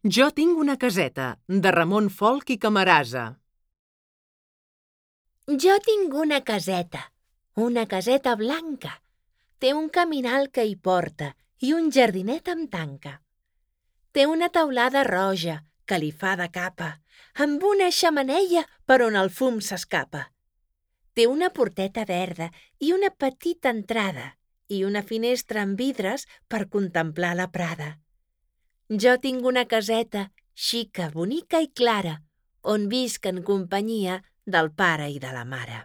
Jo tinc una caseta, de Ramon Folch i Camarasa. Jo tinc una caseta blanca. Té un caminal que hi porta i un jardinet amb tanca. Té una teulada roja que li fa de capa, amb una xemeneia per on el fum s'escapa. Té una porteta verda i una petita entrada i una finestra amb vidres per contemplar la prada. Jo tinc una caseta xica, bonica i clara, on visc en companyia del pare i de la mare.